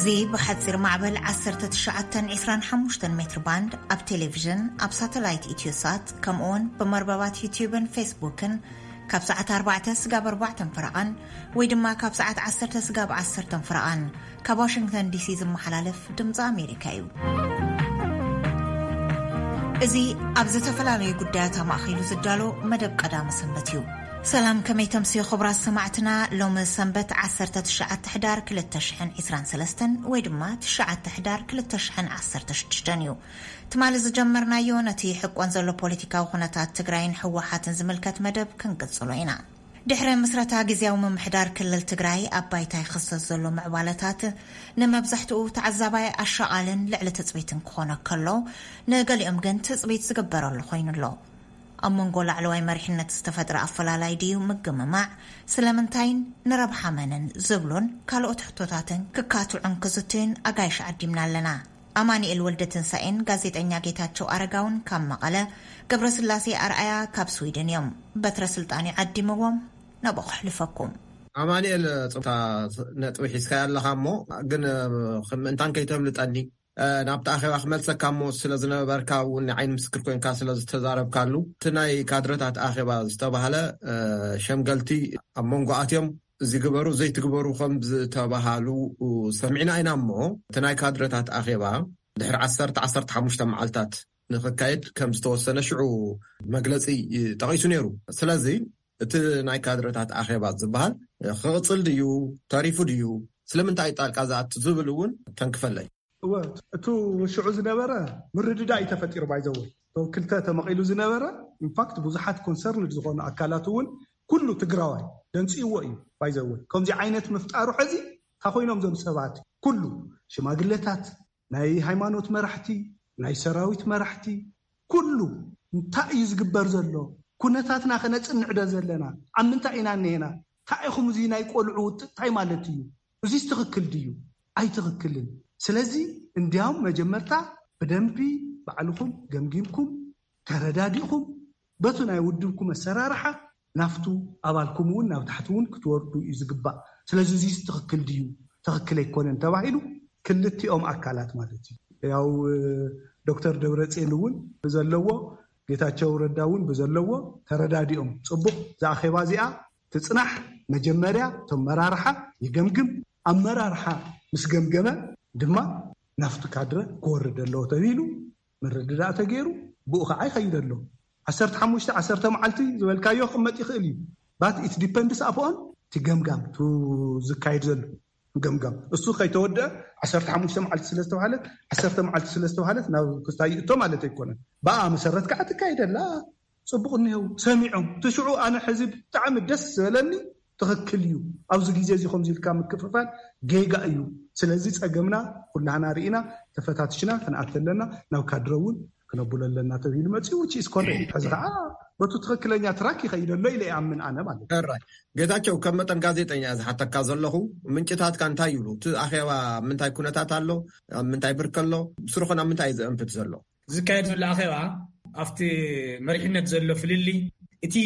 እዚ ብሓጺር ማዕበል ዓሰርተ ትሽዓተ ዕስራን ሓሙሽተን ሜትር ባንድ ኣብ ቴሌቪዥን፣ ኣብ ሳተላይት ኢትዮሳት፣ ከምኡውን ብመርበባት ዩቲዩብን ፌስቡክን ካብ ሰዓት ኣርባዕተ ስጋብ ኣርባዕተን ፈረቓን ወይ ድማ ካብ ሰዓት ዓሰርተ ስጋብ ዓሰርተን ፈረቓን ካብ ዋሽንግተን ዲሲ ዝመሓላለፍ ድምፂ ኣሜሪካ እዩ። እዚ ኣብ ዝተፈላለዩ ጉዳያት ኣማእኪሉ ዝዳሎ መደብ ቀዳመ ሰንበት እዩ። ሰላም፣ ከመይ ተምስዩ ክቡራት ሰማዕትና? ሎሚ ሰንበት ዓሰርተ ትሽዓተ ሕዳር ክልተ ሽሕን ዕስራን ሰለስተን ወይ ድማ ትሽዓተ ሕዳር ክልተ ሽሕን ዓሰርተ ሽዱሽተን እዩ። ትማሊ ዝጀመርናዮ ነቲ ሕቆን ዘሎ ፖለቲካዊ ኩነታት ትግራይን ህወሓትን ዝምልከት መደብ ክንቅጽሎ ኢና። ድሕሪ ምስረታ ግዝያዊ ምምሕዳር ክልል ትግራይ ኣብ ባይታ ይኽሰት ዘሎ ምዕባለታት ንመብዛሕትኡ ተዓዛባይ ኣሻቓልን ልዕሊ ትጽቢትን ክኾነ ከሎ፣ ንገሊኦም ግን ትጽቢት ዝግበረሉ ኮይኑ ኣሎ። ኣብ መንጎ ላዕለዋይ መሪሕነት ዝተፈጥረ ኣፈላላይ ድዩ ምግምማዕ፣ ስለምንታይን ንረብሓ መንን ዝብሉን ካልኦት ሕቶታትን ክካትዑን ክዝትዩን ኣጋይሽ ዓዲምና ኣለና። ኣማኑኤል ወልደ ትንሳኤን ጋዜጠኛ ጌታቸው ኣረጋውን ካብ መቐለ፣ ገብረስላሴ ኣርኣያ ካብ ስዊድን እዮም። በትረ ስልጣን ይዓዲምዎም፣ ናብኡ ከሕልፈኩም። ኣማኑኤል፣ ጽብታ ነጥቢ ሒዝካ ኣለኻ እሞ፣ ግን ምእንታን ከይተብልጠኒ፣ ናብቲ ኣኼባ ክመልሰካ እሞ፣ ስለ ዝነበርካ እውን ንዓይኒ ምስክር ኮንካ ስለ ዝተዛረብካሉ፣ እቲ ናይ ካድረታት ኣኼባ ዝተባህለ፣ ሸምገልቲ ኣብ መንጎ ኣትዮም እዚ ግበሩ ዘይትግበሩ ከም ዝተባሃሉ ሰሚዕና ኢና እሞ፣ እቲ ናይ ካድረታት ኣኼባ ድሕሪ ዓሰርተ፣ ዓሰርተ ሓሙሽተ መዓልታት ንኽካየድ ከም ዝተወሰነ ሽዑ መግለጺ ጠቒሱ ነይሩ። ስለዚ እቲ ናይ ካድረታት ኣኼባ ዝበሃል ክቕጽል ድዩ፣ ተሪፉ ድዩ፣ ስለምንታይ ጣልቃ ዝኣቱ ዝብል እውን ተንክፈለይ። እወ፣ እቱ ሽዑ ዝነበረ ምርድዳእ እዩ ተፈጢሩ። ባይዘወ፣ ክልተ ተመቒሉ ዝነበረ፣ ኢንፋክት ብዙሓት ኮንሰርንድ ዝኾኑ ኣካላት እውን፣ ኩሉ ትግራዋይ ደንፅይዎ እዩ። ባይዘወ፣ ከምዚ ዓይነት ምፍጣሩ ሕዚ እንታይ ኮይኖም እዞም ሰባት? ኩሉ ሽማግለታት፣ ናይ ሃይማኖት መራሕቲ፣ ናይ ሰራዊት መራሕቲ፣ ኩሉ እንታይ እዩ ዝግበር ዘሎ? ኩነታትና ከነፅንዕ ዶ ዘለና? ኣብ ምንታይ ኢና እኒሄና? እንታይ ኢኹም፣ እዚ ናይ ቆልዑ ውጥጥ እንታይ ማለት እዩ? እዚስ ትኽክል ድዩ? ኣይትኽክልን። ስለዚ እንዲያውም መጀመርታ ብደንቢ ባዕልኹም ገምጊምኩም፣ ተረዳዲእኹም፣ በቱ ናይ ውድብኩም ኣሰራርሓ ናፍቱ ኣባልኩም እውን ናብ ታሕቲ እውን ክትወርዱ እዩ ዝግባእ። ስለዚ እዚስ ትኽክል ድዩ፣ ትኽክል ኣይኮነን ተባሂሉ፣ ክልቲኦም ኣካላት ማለት እዩ። ያው ዶክተር ደብረፅዮን እውን ብዘለዎ፣ ጌታቸው ረዳ እውን ብዘለዎ ተረዳዲኦም፣ ፅቡቕ፣ እዛ ኣኼባ እዚኣ ትፅናሕ፣ መጀመርያ እቶም መራርሓ ይገምግም፣ ኣመራርሓ ምስ ገምገመ ድማ ናፍቲ ካድረ ክወርድ ኣለዎ ተባሂሉ ምርድዳእ ተገይሩ፣ ብኡ ከዓ ይኸይድ ኣሎ። ዓሰርተ ሓሙሽተ፣ ዓሰርተ መዓልቲ ዝበልካዮ ክመጥ ይኽእል እዩ። But it depends upon እቲ ገምጋም፣ እቲ ዝካየድ ዘሎ ገምጋም። እሱ ከይተወደአ፣ ዓሰርተ ሓሙሽተ መዓልቲ ስለ ዝተባሃለት፣ ዓሰርተ መዓልቲ ስለ ዝተባሃለት ናብ ክስታይ ይእቶ ማለት ኣይኮነን። ብኣ መሰረት ከዓ ትካየደላ። ጽቡቕ እኒሄው ሰሚዖም። እቲ ሽዑ ኣነ ሕዚ ብጣዕሚ ደስ ዝበለኒ፣ ትኽክል እዩ፣ ኣብዚ ግዜ እዚ ከምዚ ኢልካ ምክፍፋል ጌጋ እዩ። ስለዚ ጸገምና ኩላህና ርኢና፣ ተፈታትሽና ክንኣቲ ኣለና፣ ናብ ካድረ እውን ክነብሎ ኣለና ተባሂሉ መጺኡ፣ which is correct። ሕዚ ከዓ በቱ ትኽክለኛ ትራክ ይኸይድ ኣሎ ኢለ ይኣምን ኣነ ማለት እዩ። ሕራይ። ጌታቸው፣ ከም መጠን ጋዜጠኛ እየ ዝሓተካ ዘለኹ፣ ምንጭታትካ እንታይ ይብሉ? እቲ ኣኼባ ምንታይ ኩነታት ኣሎ? ኣብ ምንታይ ብርክ ኣሎ? ብስሩኸ ናብ ምንታይ እዩ ዘእንፍት ዘሎ? ዝካየድ ዘሎ ኣኼባ ኣብቲ መሪሕነት ዘሎ ፍልልይ፣ እቲ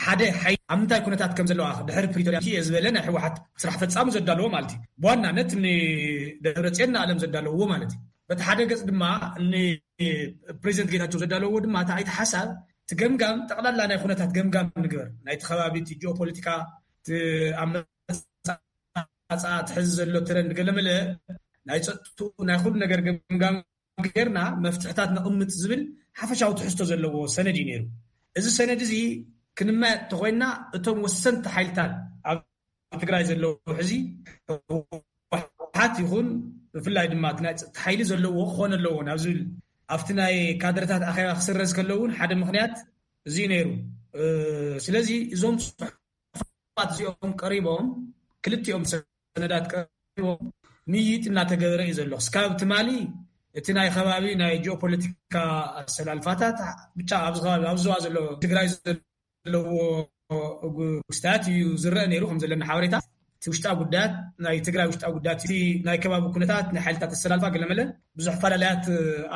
ሓደ ሓይሊ ኣብ ምንታይ ኩነታት ከም ዘለዋ ድሕሪ ፕሪቶርያ እየ ዝበለ ናይ ህወሓት ስራሕ ፈጻሚ ዘዳለዎ ማለት እዩ። ብዋናነት ንደብረጽዮን ንኣለም ዘዳለዎ ማለት እዩ። በቲ ሓደ ገጽ ድማ ንፕሬዚደንት ጌታቸው ዘዳለዎ ድማ እቲ ኣይተ ሓሳብ፣ እቲ ገምጋም፣ ጠቕላላ ናይ ኩነታት ገምጋም ንግበር። ናይቲ ከባቢ፣ እቲ ጂኦፖለቲካ፣ እቲ ኣብ መጻ፣ እቲ ሕዚ ዘሎ ትረንድ፣ ገለመለ ናይ ጸጥቱ፣ ናይ ኩሉ ነገር ገምጋም ጌርና መፍትሕታት ነቕምጥ ዝብል ሓፈሻዊ ትሕዝቶ ዘለዎ ሰነድ እዩ ነይሩ። እዚ ሰነድ እዚ ክንመያየጥ እንተኾይንና፣ እቶም ወሰንቲ ሓይልታት ኣብ ትግራይ ዘለዉ ሕዚ ህወሓት ይኹን ብፍላይ ድማ እቲ ናይ ጸጥታ ሓይሊ ዘለዎ ክኾን ኣለዎ ናብ ዝብል፣ ኣብቲ ናይ ካድረታት ኣኼባ ክስረዝ ከሎ እውን ሓደ ምኽንያት እዚ እዩ ነይሩ። እ፣ ስለዚ እዞም ጽሑፋት እዚኦም ቀሪቦም፣ ክልቲኦም ሰነዳት ቀሪቦም ምይይጥ እናተገበረ እዩ ዘሎ። እስካብ ትማሊ እቲ ናይ ከባቢ ናይ ጂኦፖለቲካ ኣሰላልፋታት ብቻ ኣብዚ ከባቢ፣ ኣብዚ ዞባ ዘሎ ትግራይ ዘለዎ ክስታት እዩ ዝረአ ነይሩ። ከም ዘለና ሓበሬታ፣ እቲ ውሽጣዊ ጉዳያት፣ ናይ ትግራይ ውሽጣዊ ጉዳያት፣ እቲ ናይ ከባቢ ኩነታት፣ ናይ ሓይልታት ኣሰላልፋ ገለመለ ብዙሕ ፈላለያት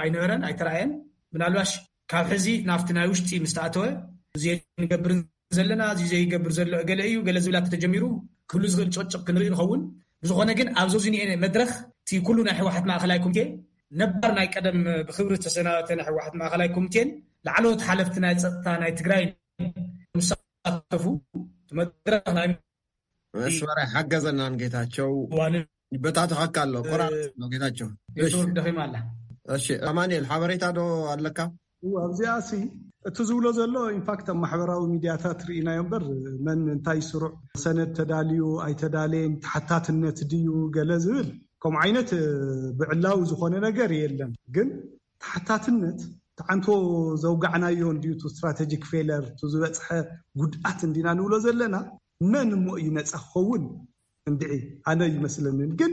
ኣይነበረን፣ ኣይተራእየን። ምናልባሽ ካብ ሕዚ ናብቲ ናይ ውሽጢ ምስ ተኣተወ፣ እዚ ንገብር ዘለና፣ እዚ ዘይገብር ዘሎ እገለ እዩ፣ ገለ ዝብላት ተጀሚሩ ክህሉ ዝኽእል ጭቕጭቕ ክንርኢ ንኸውን። ብዝኾነ ግን፣ ኣብዚ ዝኒኤ መድረኽ እቲ ኩሉ ናይ ህወሓት ማእኸላይ ኮሚቴ፣ ነባር ናይ ቀደም ብክብሪ ዝተሰናበተ ናይ ህወሓት ማእኸላይ ኮሚቴን ላዕለዎት ሓለፍቲ ናይ ፀጥታ ናይ ትግራይ ዝሳተፉ መድረኽ ናይ መስመር ኣይሓገዘናን ጌታቸው። ዋንን ይበታተኸካ ኣሎ፣ ቆራርጥ ነው ጌታቸው። እሺ፣ ኔትወርክ ደኺማ ኣላ። እሺ፣ ኣማኑኤል ሓበሬታ ዶ ኣለካ? ኣብዚኣ ሲ እቲ ዝብሎ ዘሎ ኢንፋክት ኣብ ማሕበራዊ ሚድያታት ርኢናዮ እምበር፣ መን እንታይ ስሩዕ ሰነድ ተዳልዩ ኣይተዳለየን፣ ተሓታትነት ድዩ ገለ ዝብል ከምኡ ዓይነት ብዕላዊ ዝኾነ ነገር የለን። ግን ተሓታትነት ተዓንቶ ዘውጋዕናዮ እንድዩ፣ ቱ ስትራቴጂክ ፌለር፣ ቱ ዝበፅሐ ጉድኣት እንዲና ንብሎ ዘለና። መን እሞ እዩ ነፃ ክኸውን? እንድዒ ኣነ ይመስለንን። ግን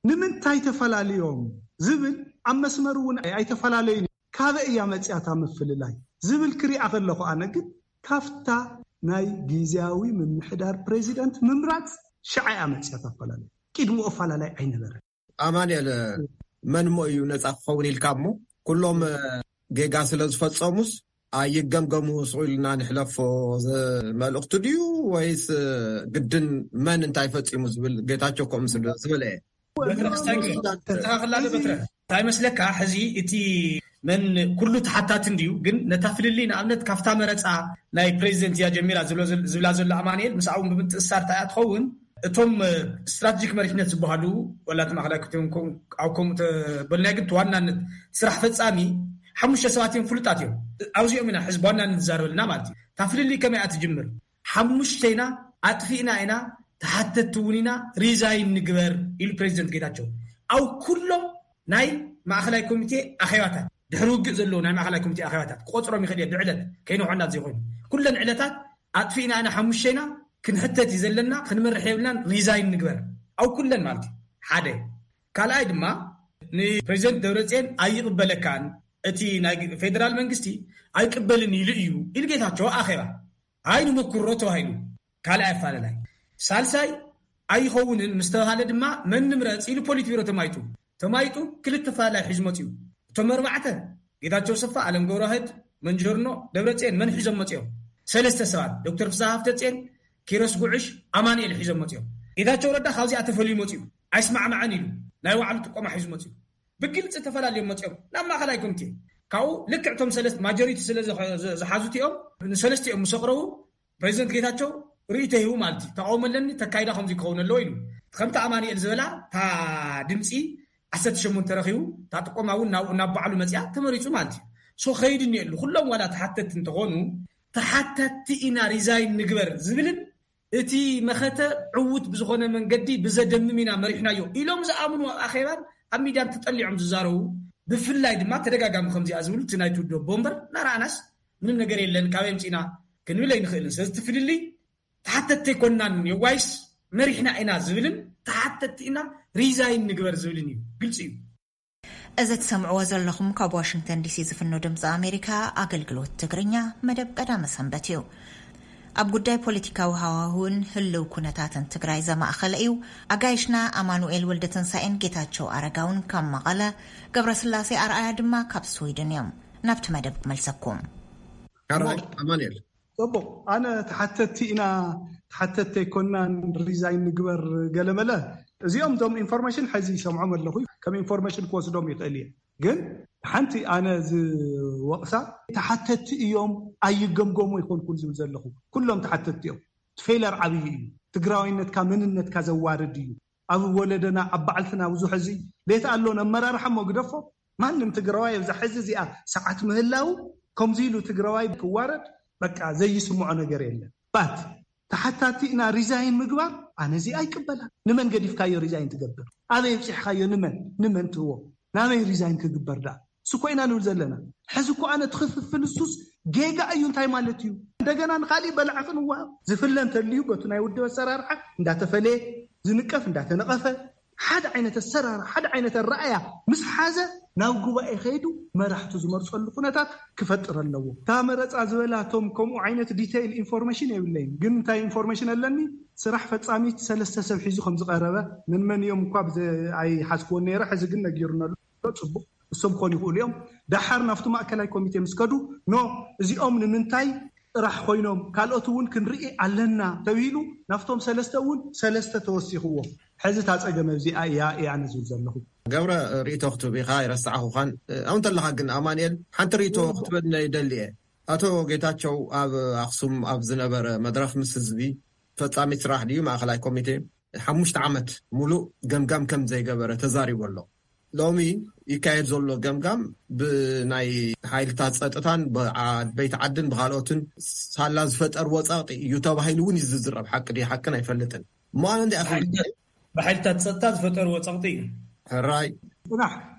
ንምንታይ ተፈላለዮም ዝብል ኣብ መስመር እውን ኣይተፈላለዩን። ካበይ እያ መፅያታ ምፍልላይ ዝብል ክሪኣ ከለኹ፣ ኣነ ግን ካፍታ ናይ ግዝያዊ ምምሕዳር ፕሬዚደንት ምምራፅ ሽዓ እያ መፅያታ ኣፈላለዩ። ቅድሚኡ ኣፈላለይ ኣይነበረን። ኣማኑኤል፣ መን እሞ እዩ ነፃ ክኸውን ኢልካ እሞ ኩሎም ጌጋ ስለ ዝፈፀሙስ ኣይገምገሙ ስቕ ኢልና ንሕለፎ ዝ- መልእኽቱ ድዩ ወይስ ግድን መን እንታይ ፈፂሙ ዝብል ጌታቸው ከምኡ ስለ ዝበለ እየ። በትረ ክስታይ ክብል ተኸላለ በትረ እንታይ መስለካ? ሕዚ እቲ መን ኩሉ ተሓታቲ እንድዩ፣ ግን ነታ ፍልልይ ንኣብነት ካብታ መረፃ ናይ ፕሬዚደንት እያ ጀሚራ ዝብሎ ዘል- ዝብላ ዘሎ ኣማኑኤል ምስኣውን ብምትእሳር እንታይ እያ ትኸውን? እቶም ስትራቴጂክ መሪሕነት ዝበሃሉ ወላ እቲ ማእኸላይ ኮሚቴ እውን ኣብ ከምኡ ተበልና ግን እቲ ዋናነት ስራሕ ፈፃሚ ሓሙሽተ ሰባት እዮም ፍሉጣት እዮም። ኣብዚኦም ኢና ሕዚ ብዋናነት ዝዛረበልና ማለት እዩ። እታ ፍልልይ ከመይ እያ ትጅምር? ሓሙሽተ ኢና፣ ኣጥፊእና ኢና፣ ተሓተትቲ እውን ኢና፣ ሪዛይን ንግበር ኢሉ ፕሬዚደንት ጌታቸው ኣብ ኩሎም ናይ ማእኸላይ ኮሚቴ ኣኼባታት፣ ድሕሪ ውግእ ዘለዉ ናይ ማእኸላይ ኮሚቴ ኣኼባታት ክቆፅሮም ይኽእል እየ ብዕለት ከይንውሖ እናዘይኮይኑ ኩለን ዕለታት ኣጥፊእና ኢና፣ ሓሙሽተ ኢና፣ ክንሕተት እዩ ዘለና፣ ክንመርሕ የብልናን፣ ሪዛይን ንግበር ኣብ ኩለን ማለት እዩ። ሓደ። ካልኣይ ድማ ንፕሬዚደንት ደብረፅዮን ኣይቕበለካን፣ እቲ ናይ ፌደራል መንግስቲ ኣይቅበልን ኢሉ እዩ ኢሉ ጌታቸው ኣኼባ ኣይንመኩሮ ተባሂሉ ካልኣይ ኣፋለላይ። ሳልሳይ ኣይኸውንን ምስ ተባሃለ ድማ መን ንምረፅ ኢሉ ፖሊት ቢሮ ተማይጡ ተማይጡ ክልተ ፋላይ ሒዙ መፅኡ። እቶም ኣርባዕተ ጌታቸው ሰፋ፣ ኣለም ገብረዋህድ፣ መንጀርኖ ደብረፅዮን መን ሒዞም መፅኦም? ሰለስተ ሰባት ዶክተር ፍስሃ ሃፍተፅዮን፣ ኪሮስ ጉዕሽ፣ ኣማኑኤል ሒዞም መፅኦም። ጌታቸው ረዳ ካብዚኣ ተፈልዩ መፅኡ ኣይስማዕማዕን ኢሉ ናይ ባዕሉ ጥቆማ ሒዙ መፅኡ። ብግልፂ ተፈላለዮም መፅኦም ናብ ማእኸላይ ኮሚቴ። ካብኡ ልክዕ እቶም ሰለስተ ማጆሪቲ ስለ ዝሓዙት እዮም ንሰለስቲኦም ምስ ኣቕረቡ ፕሬዚደንት ጌታቸው ርእይቶ ሂቡ ማለት እዩ። ተቃውሞ ኣለኒ ተካይዳ ከምዚ ክኸውን ኣለዎ ኢሉ። ከምቲ ኣማኑኤል ዝበላ እታ ድምፂ ዓሰርተ ሸሞንተ ረኺቡ እታ ጥቆማ እውን ናብ ናብ ባዕሉ መፅያ ተመሪፁ ማለት እዩ። ሶ ከይድ እኒኤሉ ኩሎም ዋላ ተሓተቲ እንተኾኑ ተሓተቲ ኢና ሪዛይን ንግበር ዝብልን እቲ መኸተ ዕዉት ብዝኾነ መንገዲ ብዘደምም ኢና መሪሕናዮ ኢሎም ዝኣምኑ ኣብ ኣኼባን ኣብ ሚድያን ተጠሊዖም ዝዛረቡ ብፍላይ ድማ ተደጋጋሚ ከምዚኣ ዝብሉ እቲ ናይ ትውዶ ቦምበር እናረኣናስ ምንም ነገር የለን ካበይ ኣምፂእና ክንብል ኣይንኽእልን። ስለዚ እቲ ፍልልይ ተሓተቲ ኣይኮናን የዋይስ መሪሕና ኢና ዝብልን ተሓተቲ ኢና ሪዛይን ንግበር ዝብልን እዩ። ግልፂ እዩ። እዚ ትሰምዕዎ ዘለኹም ካብ ዋሽንግተን ዲሲ ዝፍኖ ድምፂ ኣሜሪካ ኣገልግሎት ትግርኛ መደብ ቀዳመ ሰንበት እዩ። ኣብ ጉዳይ ፖለቲካዊ ሃዋህውን ህልው ኩነታትን ትግራይ ዘማእኸለ እዩ። ኣጋይሽና ኣማኑኤል ወልደትንሳኤን ጌታቸው ኣረጋውን ካብ መቐለ፣ ገብረስላሴ ኣርኣያ ድማ ካብ ስዊድን እዮም። ናብቲ መደብ ክመልሰኩም። ካራይ ኣማኑኤል ፅቡቅ። ኣነ ተሓተቲ ኢና ተሓተቲ ኣይኮናን ሪዛይን ንግበር ገለመለ እዚኦም ዞም ኢንፎርሜሽን ሕዚ ይሰምዖም ኣለኹ። ከም ኢንፎርሜሽን ክወስዶም ይኽእል እየ። ግን ሓንቲ ኣነ ዝወቕሳ ተሓተቲ እዮም ኣይገምገሙ ኣይኮንኩን ዝብል ዘለኹ። ኩሎም ተሓተቲ እዮም። ፌለር ዓብዪ እዩ። ትግራዋይነትካ መንነትካ ዘዋርድ እዩ። ኣብ ወለደና ኣብ ባዕልትና ብዙሕ እዚ ሌት ኣሎ ነመራርሓ እሞ ግደፎ። ማንም ትግራዋይ ኣብዛ ሕዚ እዚኣ ሰዓት ምህላው ከምዚ ኢሉ ትግራዋይ ክዋረድ በቃ ዘይስምዖ ነገር የለን። ባት ተሓታቲ ኢና ሪዛይን ምግባር ኣነ እዚ ኣይቅበላን። ንመን ገዲፍካዮ ሪዛይን ትገብር? ኣበይ ኣብፂሕካዮ? ንመን ንመን ትህቦ? ናበይ ሪዛይን ክግበር ደኣ? ስኮ ኢና ንብል ዘለና። ሕዚ እኮ ኣነ ትኽፍፍል እሱስ ጌጋ እዩ። እንታይ ማለት እዩ? እንደገና ንካሊእ በላዕ ክንዋሃብ ዝፍለ እንተልዩ በቱ ናይ ውድብ ኣሰራርሓ እንዳተፈለየ ዝንቀፍ እንዳተነቐፈ ሓደ ዓይነት ኣሰራርሓ ሓደ ዓይነት ኣረኣያ ምስ ሓዘ ናብ ጉባኤ ከይዱ መራሕቱ ዝመርፀሉ ኩነታት ክፈጥር ኣለዎ። እታ መረፃ ዝበላቶም ከምኡ ዓይነት ዲተይል ኢንፎርሜሽን የብለይን፣ ግን እንታይ ኢንፎርሜሽን ኣለኒ ስራሕ ፈፃሚት ሰለስተ ሰብ ሒዙ ከም ዝቐረበ መን መን እዮም እኳ ኣይሓዝክዎን ነይረ፣ ሕዚ ግን ነጊሩና ኣሎ። ፅቡቅ እሶም ክኾኑ ይኽእሉ እዮም። ደሓር ናብቲ ማእከላይ ኮሚቴ ምስ ከዱ ኖ እዚኦም ንምንታይ ጥራሕ ኮይኖም ካልኦት እውን ክንርኢ ኣለና ተብሂሉ ናብቶም ሰለስተ እውን ሰለስተ ተወሲኽዎ። ሕዚ እታ ጸገም ኣብዚኣ እያ እያ ኣነ ዝብል ዘለኹ። ገብረ፣ ርእይቶ ክትህብ ኢኻ ኣይረሳዕኹኻን። ኣብኡ እንተለኻ ግን ኣማንኤል ሓንቲ ርእይቶ ክትበኒ ይደሊ እየ። ኣቶ ጌታቸው ኣብ ኣኽሱም ኣብ ዝነበረ መድረኽ ምስ ህዝቢ ፈጻሚት ስራሕ ድዩ ማእኸላይ ኮሚቴ ሓሙሽተ ዓመት ሙሉእ ገምጋም ከም ዘይገበረ ተዛሪቡ ኣሎ። ሎሚ ይካየድ ዘሎ ገምጋም ብናይ ሓይልታት ጸጥታን ብዓበይቲ ዓድን ብኻልኦትን ሳላ ዝፈጠርዎ ጸቕጢ እዩ ተባሂሉ እውን እዩ ዝዝረብ። ሓቂ ድዩ ሓቅን ኣይፈልጥን። እሞ ኣነ እንዲኣ ብሓይልታት ጸጥታ ዝፈጠርዎ ጸቕጢ እዩ። ሕራይ ጽናሕ፣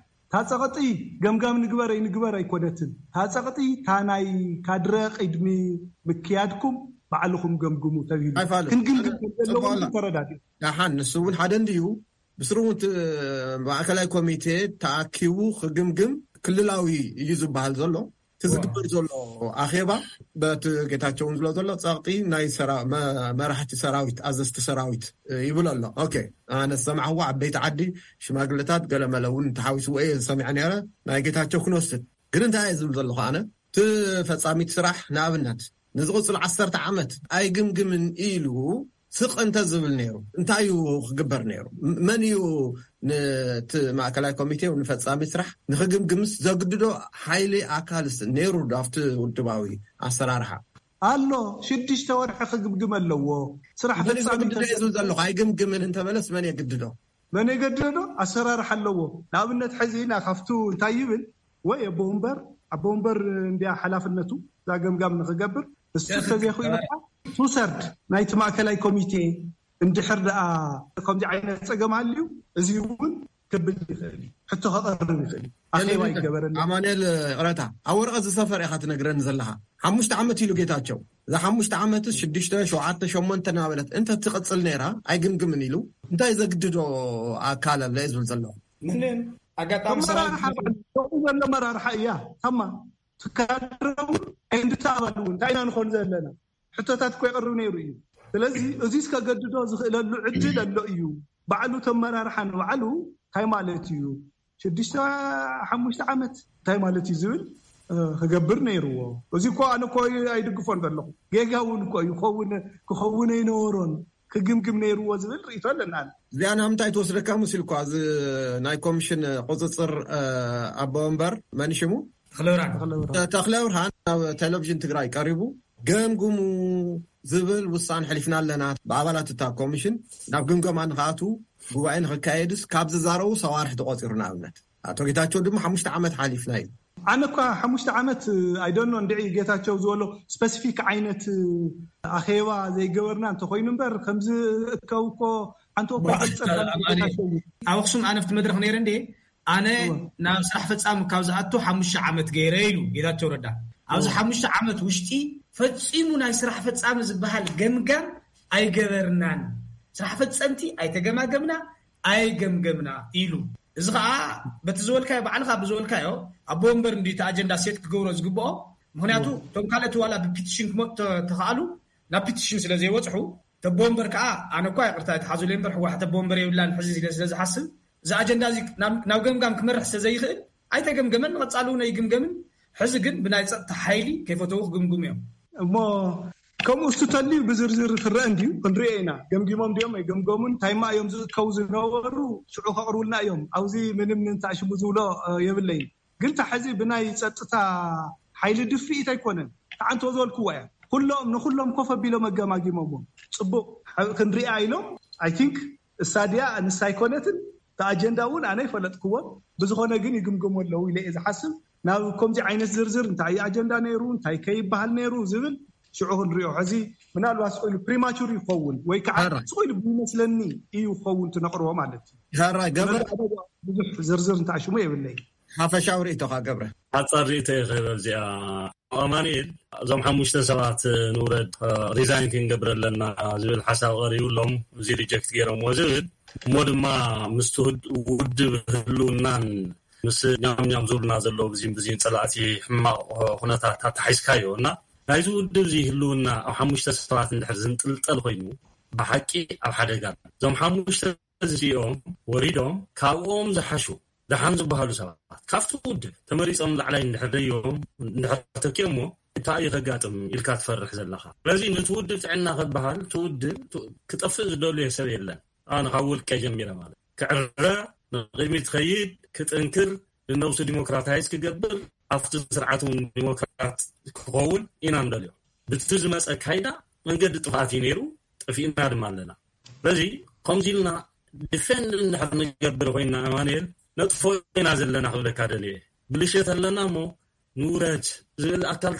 እታ ጸቕጢ ገምጋም ንግበር ኣይንግበር ኣይኮነትን። እታ ጸቕጢ እታ ናይ ካድረ ቅድሚ ምክያድኩም ባዕልኹም ገምግሙ ተባሂሉ ኣይፋልን። ክንግምግም ከም ዘለዎ ጽቡቕ ኣሎ። ተረዳዲኡ። ደሓን ንሱ እውን ሓደ እንድዩ። ብስሩ እውን እቲ ማእከላይ ኮሚቴ ተኣኪቡ ክግምግም ክልላዊ እዩ ዝበሃል ዘሎ። እቲ ዝግበር ዘሎ ኣኼባ በቲ ጌታቸው እውን ዝብሎ ዘሎ ጸቕጢ ናይ ሰራ-፣ መ-፣ መራሕቲ ሰራዊት፣ ኣዘዝቲ ሰራዊት፣ እ፣ ይብል ኣሎ። ኦኬ፣ ኣነ ዝሰማዕዎ ዓበይቲ ዓዲ፣ ሽማግለታት፣ ገለመለ እውን ተሓዊስዎ እየ ዝሰምዐ ነይረ። ናይ ጌታቸው ክንወስድ ግን እንታይ እየ ዝብል ዘለኹ ኣነ? እቲ ፈጻሚት ስራሕ ንኣብነት ንዝቕጽል ዓሰርተ ዓመት ኣይግምግምን ኢሉ ስቕ እንተ ዝብል ነይሩ እንታይ እዩ ክግበር ነይሩ? መን እዩ ነቲ ማእከላይ ኮሚቴ ንፈጻሚ ስራሕ ንኽግምግምስ ዘግድዶ ሓይሊ ኣካልስ ነይሩ ዶ ኣብቲ ውድባዊ ኣሰራርሓ? ኣሎ። ሽዱሽተ ወርሒ ክግምግም ኣለዎ። ስራሕ መን እዩ ፈጻሚ ዘግድዶ እየ ዝብል ዘለኹ። ኣይግምግምን እንተበለስ መን የግድዶ? መን የገድዶ? ኣሰራርሓ ኣለዎ። ንኣብነት ሕዚ ኢና ካብቱ እንታይ ይብል ወይ ኣቦ ወንበር፣ ኣቦ ወንበር እንዲያ ሓላፍነቱ እዛ ገምጋም ንኽገብር እሱ ተዘይኽእሉ ቱሰርድ ናይቲ ማእከላይ ኮሚቴ እንድሕር ደኣ ከምዚ ዓይነት ጸገም ኣልዩ እዚ እውን ክብል ይኽእል እዩ። ሕቶ ከቐርብ ይኽእል እዩ። ኣኼባ ይገበረሉ። ኣማኑኤል፣ ይቕረታ፣ ኣብ ወረቐት ዝሰፈር ኢኻ ትነግረኒ ዘለኻ። ሓሙሽተ ዓመት ኢሉ ጌታቸው። እዛ ሓሙሽተ ዓመትስ ሽዱሽተ፣ ሸውዓተ፣ ሸሞንተ እናበለት እንተ ትቕጽል ነይራ ኣይግምግምን ኢሉ እንታይ ዘግድዶ ኣካል ኣሎ እየ ዝብል ዘለኹ። ምንም ኣጋጣሚ ኣመራርሓ ሰራዊት በዓል፣ ከምኡ ዘሎ ኣመራርሓ እያ። ታማ ትካድረውን ኣይንድተኣባሉ እውን እንታይ ኢና ንኾን ዘለና? ሕቶታት እኮ ይቐርብ ነይሩ እዩ። ስለዚ እዙይ እስከገድዶ ዝኽእለሉ ዕድል ኣሎ እዩ። ባዕሉ ተመራርሓ ንባዕሉ እንታይ ማለት እዩ? ሽዱሽተ ሓሙሽተ ዓመት እንታይ ማለት እዩ ዝብል፣ እ፣ ክገብር ነይርዎ። እዚ እኮ ኣነ እኮ ኣይድግፎን ዘለኹ። ጌጋ እውን እኮ እዩ። ክኸውን፣ ክኸውን ኣይነበሮን። ክግምግም ነይርዎ ዝብል ርእይቶ ኣለና። እዚኣ ናብ ምንታይ ትወስደካ መሲልኳ? እዚ ናይ ኮሚሽን ቁጽጽር፣ እ፣ ኣቦ ወንበር መን ሽሙ? ተኽለብርሃን። ተኽለብርሃን። ተኽለብርሃን ናብ ቴሌቪዥን ትግራይ ቀሪቡ ገምግሙ ዝብል ውሳነ ሕሊፍና ኣለና። ብኣባላት እታ ኮሚሽን ናብ ግምገማ ንኽኣትዉ ጉባኤ ንኽካየድስ ካብ ዝዛረቡ ሰዋርሕ ተቖጺሩ። ንኣብነት ኣቶ ጌታቸው ድማ ሓሙሽተ ዓመት ሓሊፍና እዩ። ኣነ እኳ ሓሙሽተ ዓመት ኣይደኖ እንድዒ ጌታቸው ዝበሎ ስፐሲፊክ ዓይነት ኣኼባ ዘይገበርና እንተኾይኑ እምበር ከምዚ እከው እኮ ሓንቲ እኮ ዋ፣ ይገልጸልካ ኣማኒ፣ ጌታቸው እዩ። ኣብ ኣኽሱም ኣነ ኣብቲ መድረኽ ነይረ እንዴ ኣነ እወ። ናብ ስራሕ ፈጻሚ ካብ ዝኣቱ ሓሙሽተ ዓመት ገይረ ኢሉ ጌታቸው ረዳ። ኣብዚ እወ። ሓሙሽተ ዓመት ውሽጢ ፈጺሙ ናይ ስራሕ ፈጻሚ ዝበሃል ገምጋም ኣይገበርናን። ስራሕ ፈጸምቲ ኣይተገማገምና፣ ኣይገምገምና ኢሉ። እዚ ኸዓ በቲ ዝበልካዮ፣ ባዕልኻ ብዝበልካዮ ኣቦ ወንበር እንዲ እቲ ኣጀንዳ ሴት ክገብሮ ዝግብኦ። ምኽንያቱ እወ። እቶም ካልኦት ዋላ ብፒቲሽን ክመጡ ተ-፣ ተኸኣሉ ናብ ፒቲሽን ስለ ዘይበጽሑ፣ ተቦ ወንበር ከኣ ኣነ እኳ ይቕርታ ይትሓዙለይ እምበር ህወሓት ተቦ ወንበር የብላን ሕዚ ኢለ ስለ ዝሓስብ፣ እዚ ኣጀንዳ እዚ ናብ፣ ናብ ገምጋም ክመርሕ ስለ ዘይኽእል ኣይተገምገመን፣ ንቐጻሊ እውን ኣይግምገምን። ሕዚ ግን ብናይ ጸጥታ ሓይሊ ከይፈተዉ ክግምግሙ እዮም። እሞ ከምኡ እሱ ተልዩ ብዝርዝር ክረአ እንድዩ፣ ክንሪኦ ኢና። ገምጊሞም ድዮም ኣይገምገሙን፣ እንታይ ማ እዮም ዝእከቡ ዝነበሩ፣ ሽዑ ከቕርቡልና እዮም። ኣብዚ ምንም ንንታእ ሽሙ ዝብሎ፣ እ፣ የብለይን። ግን እታ ሕዚ ብናይ ጸጥታ ሓይሊ ድፍኢት ኣይኮነን። ተዓንቶ ዝበልክዎ እያ። ኩሎም፣ ንኹሎም ኮፍ ኣቢሎም ኣገማጊሞምዎም። ጽቡቕ፣ ሕ-፣ ክንሪኣ ኢሎም፣ ኣይ ቲንክ እሳ ድያ ንሳ ኣይኮነትን፣ እቲ ኣጀንዳ እውን ኣነ ኣይፈለጥክዎን። ብዝኾነ ግን ይግምገሙ ኣለዉ ኢለ እየ ዝሓስብ። ናብ ከምዚ ዓይነት ዝርዝር እንታይ እዩ ኣጀንዳ ነይሩ፣ እንታይ ከ ይበሃል ነይሩ ዝብል ሽዑ ክንሪኦ። ሕዚ ምናልባት ስቕ ኢሉ ፕሪማቹር ይኸውን ወይ ከዓ ሕራይ። ስቕ ኢሉ ብይመስለኒ እዩ ክኸውን ትነቕርቦ ማለት እዩ። ሕራይ ገብረ። ብዙሕ ዝርዝር እንታይ ሽሙ የብለይ። ሓፈሻዊ ርእይቶኻ ገብረ። ሓጻር ርእይቶ እየ ክህብ ኣብዚኣ። ኣማኑኤል፣ እዞም ሓሙሽተ ሰባት ንውረድ፣ ሪዛይን ክንገብር ኣለና ዝብል ሓሳብ ቀሪቡሎም፣ እዚ ሪጀክት ገይሮምዎ ዝብል፣ እሞ ድማ ምስቲ ውድ-፣ ውድብ ህልውናን ምስ ኛም ኛም ዝብሉና ዘለዉ ብዚን ብዚን ጸላእቲ ሕማቕ ኩነታት ኣተሓሒዝካዮ እና ናይዚ ውድብ እዚ ህልውና ኣብ ሓሙሽተ ሰባት እንድሕር ዝንጥልጠል ኮይኑ ብሓቂ ኣብ ሓደጋ። እዞም ሓሙሽተ እዚኦም ወሪዶም ካብኦም ዝሓሹ ደሓን ዝበሃሉ ሰባት ካብቲ ውድብ ተመሪጾም ላዕላይ እንድሕር ደዮም እንድሕር ተኪኦሞ እንታይ እዩ ከጋጥም ኢልካ ትፈርሕ ዘለኻ? ስለዚ ነቲ ውድብ ጥዕና ከበሃል እቲ ውድብ ቱ- ክጠፍእ ዝደልዮ ሰብ የለን። ኣነ ካብ ውልቀ ጀሚረ ማለት ክዕረ ንቅድሚት ትኸይድ ክጥንክር ንነብሱ ዲሞክራታይዝ ክገብር ኣብቲ ስርዓት እውን ዲሞክራት ክኸውን ኢና ንደልዮ። ብቲ ዝመፀ ካይዳ መንገዲ ጥፍኣት እዩ ነይሩ፣ ጠፊእና ድማ ኣለና። ስለዚ ከምዚ ኢልና ዲፌንድ እንድሕር ንገብር ኮይና ኣማኑኤል ነጥፎ ኢና ዘለና ክብለካ ደልየ። ብልሸት ኣለና እሞ ንውረድ ዝብል ኣካል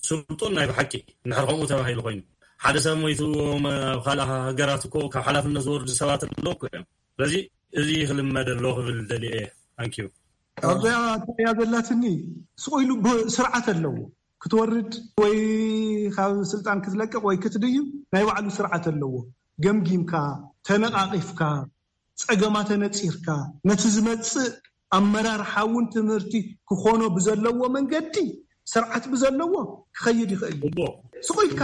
ስልጡን ናይ ብሓቂ እንድሕር ከምኡ ተባሂሉ ኮይኑ ሓደ ሰብ ሞይቱ ኣብ ካልእ ሃገራት እኮ ካብ ሓላፍነት ዝወርዱ ሰባት ኣለዉ እኮ እዮም። ስለዚ እዚ ክልመድ ኣለዎ ክብል ደልየ። ታንኪዩ። ኣብዚኣ እያ ዘላትኒ። ስቕ ኢሉ ስርዓት ኣለዎ። ክትወርድ ወይ ካብ ስልጣን ክትለቅቕ ወይ ክትድዩ ናይ ባዕሉ ስርዓት ኣለዎ። ገምጊምካ፣ ተነቓቒፍካ፣ ጸገማት ኣነጺርካ፣ ነቲ ዝመጽእ ኣመራርሓ እውን ትምህርቲ ክኾኖ ብዘለዎ መንገዲ፣ ስርዓት ብዘለዎ ክኸይድ ይኽእል እዩ። ስቕ ኢልካ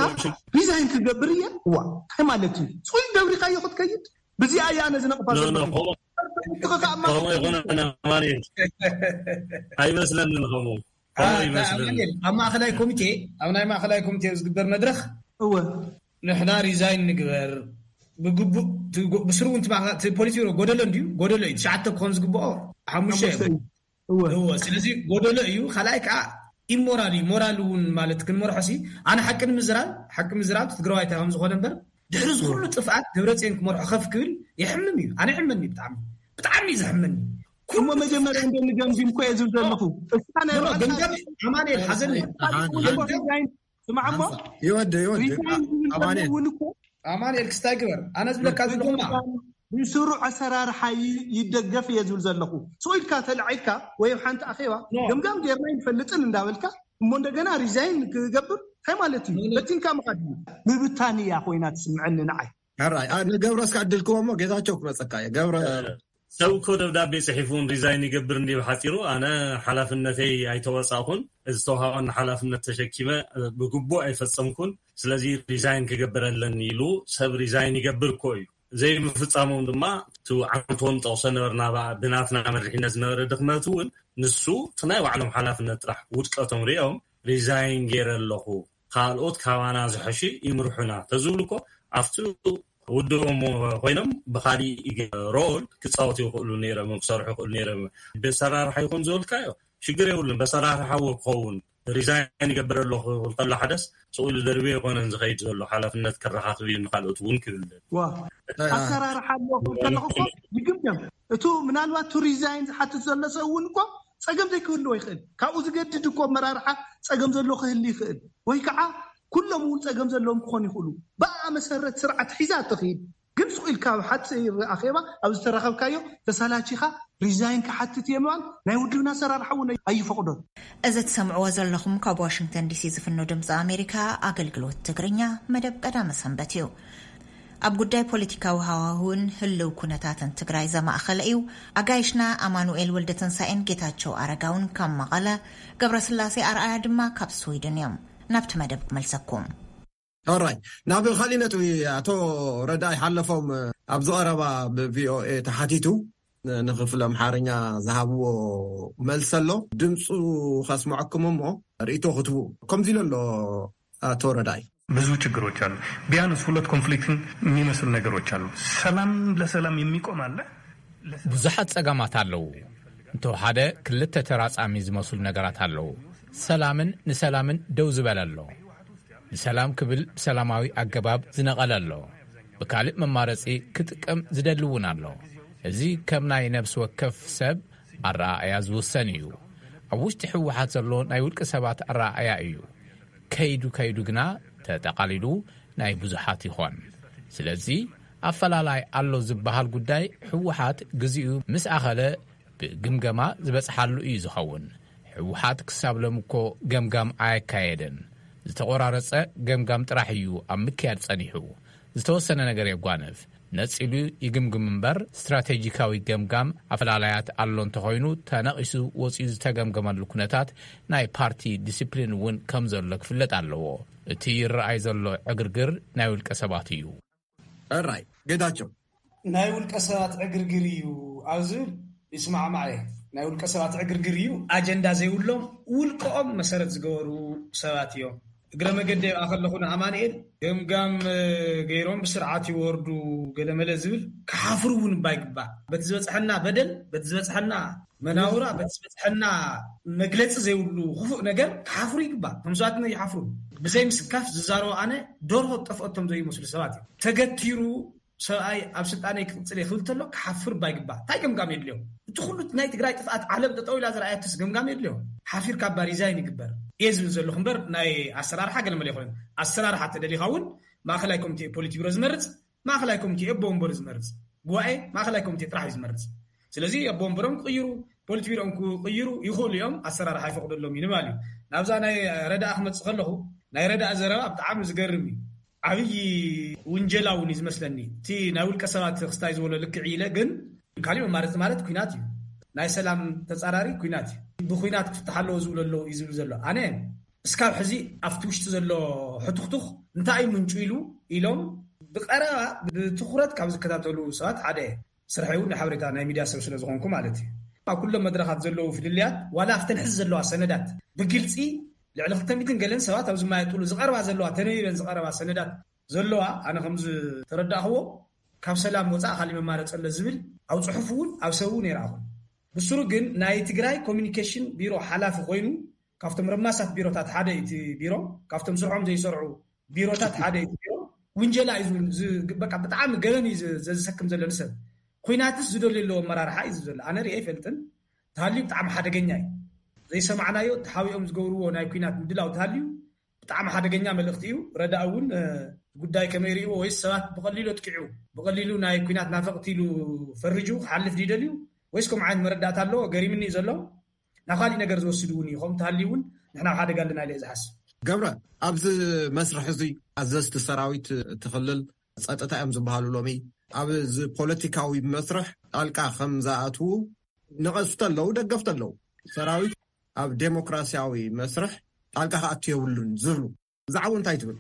ሪዛይን ክገብር እየ እዋ እንታይ ማለት እዩ? ስቕ ኢል ደብሪኻዮ ክትከይድ ብዚኣ እያ ነዚ ነቕፋ ዘለኹ። ኣይመስለንን ከምኡ። ኣብ ማእኸላይ ኮሚቴ ኣብ ናይ ማእኸላይ ኮሚቴ ዝግበር መድረኽ እወ ንሕና ሪዛይን ንግበር ብግቡእ ብስሩ እውን ፖሊሲ ጎደሎ እንድዩ። ጎደሎ እዩ። ትሽዓተ ክኾን ዝግብኦ ሓሙሽተ እወ ስለዚ ጎደሎ እዩ። ካልኣይ ከዓ ኢሞራል እዩ። ሞራል እውን ማለት ክንመርሖ ሲ ኣነ ሓቂ ንምዝራብ ሓቂ ምዝራብ ትግራዋይ እንታይ ከም ዝኾነ እምበር ድሕሪ ዝኩሉ ጥፍኣት ደብረፅዮን ክመርሖ ከፍ ክብል ይሕምም እዩ። ኣነ ይሕመኒ ብጣዕሚ ብጣዕሚ እዩ ዘሕመኒ። እሞ መጀመርያ እንደ ንገምግም እኮ እየ ዝብል ዘለኹ። እስካ ናይ ባዕልካ ገምጋም ኣማኑኤል ሓዘን እዩ። ገምጋም ስማዕ እሞ ይወድ ይወድ ሪዛይን ዝብል ኣማኑኤል እውን እኮ ኣማኑኤል ክስታይ ግበር። ኣነ ዝብለካ ዘለኹ ድማ ብስሩዕ ኣሰራርሓ ይ- ይደገፍ እየ ዝብል ዘለኹ። ስቕ ኢልካ ተላዒልካ ወይ ኣብ ሓንቲ ኣኼባ ገምጋም ጌርና ይንፈልጥን እንዳበልካ እሞ እንደገና ሪዛይን ክገብር እንታይ ማለት እዩ? በቲንካ ምኻድ እዩ። ምብታን እያ ኮይና ትስምዐኒ ንዓይ። ሕራይ ኣ- ንገብረ እስካ ዕድል ክቦ እሞ ጌታቸው ክመፀካ እየ ገብረ ሰብ እኮ ደብዳቤ ፅሒፉን ሪዛይን ይገብር እንዲ ብሓፂሩ ኣነ ሓላፍነተይ ኣይተወፃእኩን ዝተውሃበኒ ሓላፍነት ተሸኪመ ብግቡእ ኣይፈፀምኩን ስለዚ ሪዛይን ክገብር ኣለኒ ኢሉ ሰብ ሪዛይን ይገብር እኮ እዩ ዘይምፍፃሞም ድማ እቲ ዓንቶን ጠቕሶ ነበርና ብናትና መሪሕነት ዝነበረ ድክመት እውን ንሱ እቲ ናይ ባዕሎም ሓላፍነት ጥራሕ ውድቀቶም ሪኦም ሪዛይን ገይረ ኣለኹ ካልኦት ካባና ዝሐሹ ይምርሑና ተዝብሉ እኮ ኣብቲ ውድቦም ኮይኖም ብካሊእ ሮል ክፃወቱ ይኽእሉ ነይሮም ክሰርሑ ይኽእሉ ነይሮም ብኣሰራርሓ ይኹን ዝበልካዮ ሽግር የብሉን በኣሰራርሓ እዎ ክኸውን ሪዛይን ይገብር ኣለኹ ክብል ከሎ ሓደስ ስቕ ኢሉ ደርብዮ ኣይኮነን ዝኸይድ ዘሎ ሓላፍነት ከረኻኽብ እዩ ንካልኦት እውን ክብል ዋ ኣሰራርሓ ኣለዎ ክብል ከለኹ እኮ ይግምገም እቱ ምናልባት ቱ ሪዛይን ዝሓትት ዘሎ ሰብ እውን እኮ ፀገም ዘይክህልዎ ይኽእል ካብኡ ዝገድድ እኮ ኣመራርሓ ፀገም ዘሎ ክህሊ ይኽእል ወይ ከዓ ኩሎም እውን ፀገም ዘለዎም ክኾኑ ይኽእሉ ብኣ መሰረት ስርዓት ሒዛ እትኽይድ ግን ስቕ ኢልካ ኣብ ሓፂር ኣኼባ ኣብ ዝተራኸብካዮ ተሳላቺኻ ሪዛይን ክሓትት እየ ምባል ናይ ውድብና ኣሰራርሓ እውን ኣይፈቕዶን። እዚ ትሰምዕዎ ዘለኹም ካብ ዋሽንግተን ዲሲ ዝፍኖ ድምፂ ኣሜሪካ ኣገልግሎት ትግርኛ መደብ ቀዳመ ሰንበት እዩ። ኣብ ጉዳይ ፖለቲካዊ ሃዋህውን ህልው ኩነታትን ትግራይ ዘማእኸለ እዩ። ኣጋይሽና ኣማኑኤል ወልደተንሳኤን ጌታቸው ኣረጋውን ካብ መቐለ፣ ገብረስላሴ ኣርኣያ ድማ ካብ ስዊድን እዮም። ናብቲ መደብ ክመልሰኩም። ሕራይ ናብ ካሊእ ነጥቢ ኣቶ ረዳይ ሓለፎም ኣብዚ ቀረባ ብቪኦኤ ተሓቲቱ ንክፍሊ ኣምሓርኛ ዝሃብዎ መልሲ ኣሎ ድምፁ ከስምዐኩም እሞ ርእይቶ ክትቡ ከምዚ ኢሉ ኣሎ ኣቶ ረዳይ ብዙ ችግሮች አሉ። ቢያንስ ሁለት ኮንፍሊክትን የሚመስል ነገሮች አሉ። ሰላም ለሰላም የሚቆም አለ። ብዙሓት ጸገማት ኣለዉ። እንተወሓደ ክልተ ተራጻሚ ዝመስሉ ነገራት ኣለዉ። ሰላምን ንሰላምን ደው ዝበለ ኣሎ። ንሰላም ክብል ብሰላማዊ ኣገባብ ዝነቐለ ኣሎ። ብካልእ መማረጺ ክጥቀም ዝደሊ እውን ኣሎ። እዚ ከም ናይ ነብሲ ወከፍ ሰብ ኣረኣእያ ዝውሰን እዩ። ኣብ ውሽጢ ህወሓት ዘሎ ናይ ውልቂ ሰባት ኣረኣእያ እዩ። ከይዱ ከይዱ ግና ተጠቓሊሉ ናይ ብዙሓት ይኾን። ስለዚ ኣፈላላይ ኣሎ ዝበሃል ጉዳይ ህወሓት ግዚኡ ምስ ኣኸለ ብግምገማ ዝበፅሓሉ እዩ ዝኸውን። ህወሓት ክሳብ ሎም እኮ ገምጋም ኣየካየደን። ዝተቆራረፀ ገምጋም ጥራሕ እዩ ኣብ ምክያድ ፀኒሑ። ዝተወሰነ ነገር የጓንፍ፣ ነፂሉ ይግምግም እምበር ስትራቴጂካዊ ገምጋም ኣፈላላያት ኣሎ እንተኾይኑ ተነቒሱ ወፂኡ ዝተገምገመሉ ኩነታት ናይ ፓርቲ ዲሲፕሊን እውን ከም ዘሎ ክፍለጥ ኣለዎ። እቲ ይረኣይ ዘሎ ዕግርግር ናይ ውልቀ ሰባት እዩ። ሕራይ ጌታቸው። ናይ ውልቀ ሰባት ዕግርግር እዩ ኣብ ዝብል ይስማዕማዕ እየ። ናይ ውልቀ ሰባት ዕግርግር እዩ። ኣጀንዳ ዘይብሎም ውልቀኦም መሰረት ዝገበሩ ሰባት እዮም። እግረ መገዲ ኣብኣ ከለኹ ንኣማንኤል ገምጋም ገይሮም ብስርዓት ይወርዱ ገለመለ ዝብል ክሓፍሩ እውን እባ ይግባእ። በቲ ዝበፅሐና በደል፣ በቲ ዝበፅሐና መናውራ፣ በቲ ዝበፅሐና መግለፂ ዘይብሉ ክፉእ ነገር ክሓፍሩ ይግባእ። ከም ሰባት ይሓፍሩ። ብዘይ ምስካፍ ዝዛረቡ ኣነ ደርሆ ጠፍኦቶም ዘይመስሉ ሰባት እዮም። ተገቲሩ ሰብኣይ ኣብ ስልጣነይ ክቕፅል እየ ክብል ተሎ ክሓፍር ባይግባ። እንታይ ገምጋም የድልዮ? እቲ ኩሉ ናይ ትግራይ ጥፍኣት ዓለም ጠጠው ኢላ ዝረኣየትስ ገምጋም የድልዮ? ሓፊርካ እባ ሪዛይን ይግበር እየ ዝብል ዘለኹ እምበር ናይ ኣሰራርሓ ገለመለ ይኮነን። ኣሰራርሓ ተደሊኻ እውን ማእኸላይ ኮሚቴ ፖሊት ቢሮ ዝመርፅ፣ ማእኸላይ ኮሚቴ ኣቦ ወንበሩ ዝመርፅ፣ ጉባኤ ማእኸላይ ኮሚቴ ጥራሕ እዩ ዝመርፅ። ስለዚ ኣቦ ወንበሮም ክቕይሩ፣ ፖሊት ቢሮም ክቕይሩ ይኽእሉ እዮም። ኣሰራርሓ ይፈቕደሎም እዩ ንባል እዩ። ናብዛ ናይ ረዳኣ ክመፅእ ከለኹ ናይ ረዳእ ዘረባ ብጣዕሚ ዝገርም እዩ። ዓብዪ ውንጀላ እውን እዩ ዝመስለኒ። እቲ ናይ ውልቀ ሰባት ክስታይ ዝበሎ ልክዕ ኢለ፣ ግን ካሊእ መማረፂ ማለት ኩናት እዩ። ናይ ሰላም ተፃራሪ ኩናት እዩ። ብኩናት ክፍትሓ ኣለዎ ዝብሉ ኣለዉ እዩ ዝብል ዘሎ። ኣነ እስካብ ሕዚ ኣብቲ ውሽጢ ዘሎ ሕቱኽቱኽ እንታይ እዩ ምንጩ ኢሉ ኢሎም ብቐረባ ብትኹረት ካብ ዝከታተሉ ሰባት ሓደ እየ። ስርሐይ እውን ናይ ሓበሬታ ናይ ሚድያ ሰብ ስለ ዝኾንኩ ማለት እዩ። ኣብ ኩሎም መድረኻት ዘለዉ ፍልልያት ዋላ ኣብተን ሕዚ ዘለዋ ሰነዳት ብግልፂ ልዕሊ ክልተ ሚእትን ገለን ሰባት ኣብ ዝማየጥሉ ዝቐርባ ዘለዋ ተነቢበን ዝቐረባ ሰነዳት ዘለዋ ኣነ ከም ዝተረዳእኽዎ ካብ ሰላም ወፃእ ካሊእ መማረፂ ኣሎ ዝብል ኣብ ፅሑፍ እውን ኣብ ሰብ እውን የረኣኹ። ብስሩ ግን ናይ ትግራይ ኮሚኒኬሽን ቢሮ ሓላፊ ኮይኑ ካብቶም ረማሳት ቢሮታት ሓደ እቲ ቢሮ ካብቶም ስርሖም ዘይሰርዑ ቢሮታት ሓደ እዩ። ውንጀላ እዩ ዝብል፣ ዝ-፣ በቃ ብጣዕሚ ገበን እዩ ዝ-፣ ዘዝሰክም ዘሎ ንሰብ። ኩናትስ ዝደልዩ ኣለዎ ኣመራርሓ እዩ ዝብል ዘሎ። ኣነ ሪኤ ኣይፈልጥን። ተሃልዩ ብጣዕሚ ሓደገኛ እዩ። ዘይሰማዕናዮ ተሓቢኦም ዝገብርዎ ናይ ኩናት ምድላው ተሃልዩ ብጣዕሚ ሓደገኛ መልእኽቲ እዩ። ረዳእ እውን፣ እ፣ ጉዳይ ከመይ ሪእዎ? ወይስ ሰባት ብቐሊሉ ኣጥቂዑ፣ ብቐሊሉ ናይ ኩናት ናፈቕቲ ኢሉ ፈርጁ ክሓልፍ ድዩ ደልዩ? ወይስ ከምኡ ዓይነት መረዳእታ ኣለዎ? ገሪምኒ እዩ ዘሎ። ናብ ካሊእ ነገር ዝወስድ እውን እዩ። ከምኡ ተሃልዩ እውን ንሕና ኣብ ሓደጋ ኣለና ኢለ እየ ዝሓስብ። ገብረ፣ ኣብዚ መስርሕ እዚ ኣዘዝቲ ሰራዊት እቲ ክልል ጸጥታ እዮም ዝበሃሉ ሎሚ ኣብዚ ፖለቲካዊ መስርሕ ጣልቃ ከም ዝኣትዉ ነቐስቲ ኣለዉ፣ ደገፍቲ ኣለዉ። ሰራዊት ኣብ ዴሞክራሲያዊ መስርሕ ጣልቃ ክኣቱ የብሉን ዝብሉ። ብዛዕባኡ እንታይ ትብል?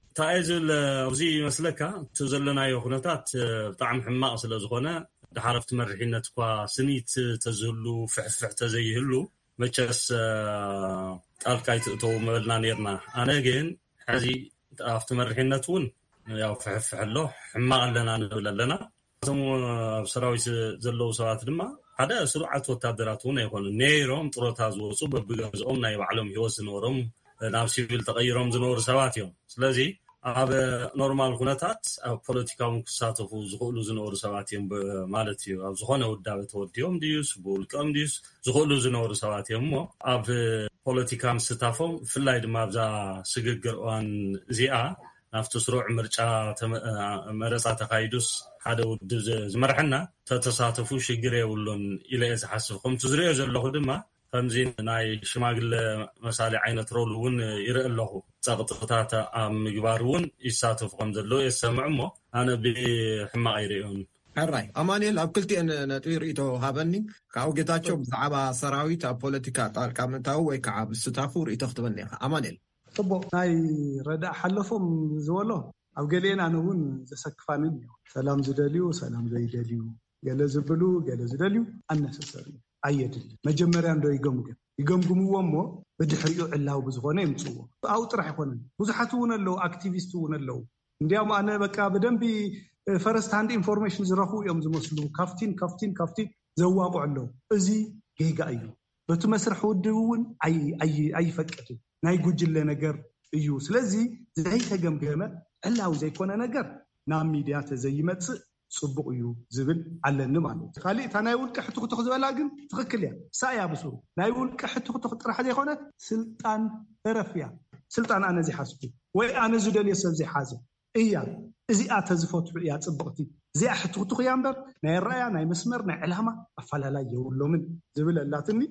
እንታይ እዩ ዝብል ኣብዚ ይመስለካ? እቲ ዘለናዮ ኩነታት፣ እ፣ ብጣዕሚ ሕማቕ ስለ ዝኾነ፣ ድሓር ኣብቲ መሪሕነት እኳ ስኒት ተዝህሉ፣ ፍሕፍሕ ተዘይህሉ፣ መቸስ፣ እ፣ ጣልቃ ኣይትእተዉ ምበልና ኔርና። ኣነ ግን ሕዚ ኣብቲ መሪሕነት እውን ያው ፍሕፍሕ ኣሎ፣ ሕማቕ ኣለና ንብል ኣለና። እቶም ኣብ ሰራዊት ዘለዉ ሰባት ድማ ሓደ ስሩዓት ወታደራት እውን ኣይኮኑን። ነይሮም ጥሮታ ዝወፁ፣ በብገዝኦም ናይ ባዕሎም ህይወት ዝነበሮም፣ ናብ ሲቪል ተቐይሮም ዝነበሩ ሰባት እዮም። ስለዚ ኣብ ኖርማል ኩነታት ኣብ ፖለቲካ እውን ክሳተፉ ዝኽእሉ ዝነበሩ ሰባት እዮም ብ-፣ ማለት እዩ። ኣብ ዝኾነ ውዳበ ተወዲቦም ድዩስ ብውልቀኦም ድዩስ ዝኽእሉ ዝነበሩ ሰባት እዮም። እሞ ኣብ ፖለቲካ ምስታፎም፣ ብፍላይ ድማ ኣብዛ ስግግር እዋን እዚኣ ናብቲ ስሩዕ ምርጫ ተመ-፣ መረፃ ተኻይዱስ ሓደ ውድብ ዝ-፣ ዝመርሐና ተተሳተፉ ሽግር የብሉን ኢለ እየ ዝሓስብ። ከምቲ ዝሪኦ ዘለኹ ድማ ከምዚ ናይ ሽማግለ መሳሊ ዓይነት ሮል እውን ይርኢ ኣለኹ። ጸቕጥታት ኣብ ምግባር እውን ይሳተፉ ከም ዘለዉ እየ ዝሰምዕ እሞ ኣነ ብሕማቕ ኣይርእዮን። ሕራይ ኣማኑኤል፣ ኣብ ክልቲኤን ነጥቢ ርእይቶ ሃበኒ። ካብኡ ጌታቸው ብዛዕባ ሰራዊት ኣብ ፖለቲካ ጣልቃ ምእታዉ ወይ ከዓ ምስታፉ ርእይቶ ክትበኒ ኢኻ። ኣማኑኤል። ጽቡቕ፣ ናይ ረዳእ ሓለፎም ዝበሎ ኣብ ገሊኤን ኣነ እውን ዘሰክፋንን እዩ። ሰላም ዝደልዩ፣ ሰላም ዘይደልዩ፣ ገለ ዝብሉ፣ ገለ ዝደልዩ ኣነሰሰሪ ኣየድልን። መጀመርያ እንዶ ይገምግም፣ ይገምግምዎ እሞ ብድሕሪኡ ዕላዊ ብዝኾነ የምፅዎ። ኣብኡ ጥራሕ ኣይኮነን፣ ብዙሓት እውን ኣለዉ፣ ኣክቲቪስት እውን ኣለዉ። እንዲያውም ኣነ በቃ ብደንቢ ፈረስት ሃንድ ኢንፎርሜሽን ዝረኽቡ እዮም ዝመስሉ፣ ካፍቲን ካፍቲን ካፍቲን ዘዋቑ ኣለዉ። እዚ ጌጋ እዩ። በቲ መስርሕ ውድብ እውን ኣይ-፣ ኣይ-፣ ኣይፈቅድን። ናይ ጉጅለ ነገር እዩ። ስለዚ ዘይተገምገመ ዕላዊ ዘይኮነ ነገር ናብ ሚድያ ተዘይመፅእ ፅቡቕ እዩ ዝብል ኣለኒ ማለት እዩ። ካሊእ እታ ናይ ውልቀ ሕትኽትኽ ዝበላ ግን ትኽክል እያ። እሳ እያ ብስሩ ናይ ውልቀ ሕትኽትኽ ጥራሕ ዘይኮነት ስልጣን ተረፍ እያ። ስልጣን ኣነ ዝሓዝኩ ወይ ኣነ ዝደልዮ ሰብ ዘይሓዘ እያ። እዚኣ ተዝፈትሑ እያ ፅብቕቲ። እዚኣ ሕትኽትኽ እያ እምበር ናይ ኣረኣያ፣ ናይ መስመር፣ ናይ ዕላማ ኣፈላላይ የብሎምን ዝብል ኣላትኒ።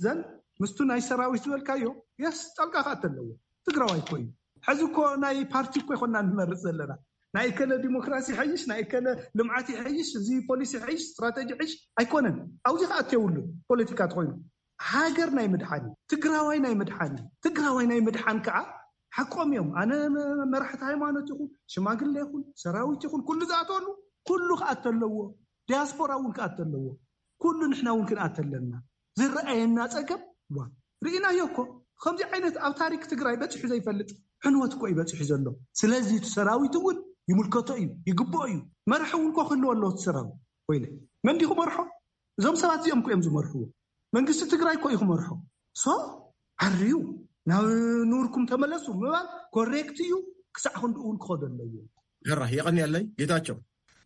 ዘን ምስቱ ናይ ሰራዊት ዝበልካዮ የስ ጣልቃ ክኣተ ኣለዎ። ትግራዋይ እኮ እዩ። ሕዚ እኮ ናይ ፓርቲ እኮ ይኮና ንመርፅ ዘለና። ናይ እከለ ዲሞክራሲ ይሐይሽ፣ ናይ እከለ ልምዓት ይሐይሽ፣ እዚ ፖሊሲ ይሐይሽ፣ ስትራተጂ ይሐይሽ ኣይኮነን። ኣብዚ ክኣት የብሉን። ፖለቲካ ተኮይኑ ሃገር ናይ ምድሓን እዩ። ትግራዋይ ናይ ምድሓን እዩ። ትግራዋይ ናይ ምድሓን ከዓ ሓቆም እዮም። ኣነ መ-፣ መራሕቲ ሃይማኖት ይኹን ሽማግለ ይኹን ሰራዊት ይኹን ኩሉ ዝኣተሉ ኩሉ ክኣተ ኣለዎ። ዲያስፖራ እውን ክኣተ ኣለዎ። ኩሉ ንሕና እውን ክንኣተ ኣለና። ዝረኣየና ጸገም ዋ ርኢናዮ እኮ። ከምዚ ዓይነት ኣብ ታሪክ ትግራይ በፂሑ ዘይፈልጥ ዕንወት እኮ እዩ በፂሑ ዘሎ። ስለዚ እቲ ሰራዊት እውን ይምልከቶ እዩ፣ ይግብኦ እዩ። መርሒ እውን እኮ ክህልዎ ኣለዎ እቲ ሰራዊት። ወይለ መን ድዩ ክመርሖ? እዞም ሰባት እዚኦም እኮ እዮም ዝመርሕዎ። መንግስቲ ትግራይ እኮ እዩ ክመርሖ። ሶ ዓርዩ ናብ ኑርኩም ተመለሱ ምባል ኮሬክት እዩ። ክሳዕ ክንድኡ እውን ክኸዶ ኣለዎ። ሕራ የቐንየለይ ጌታቸው።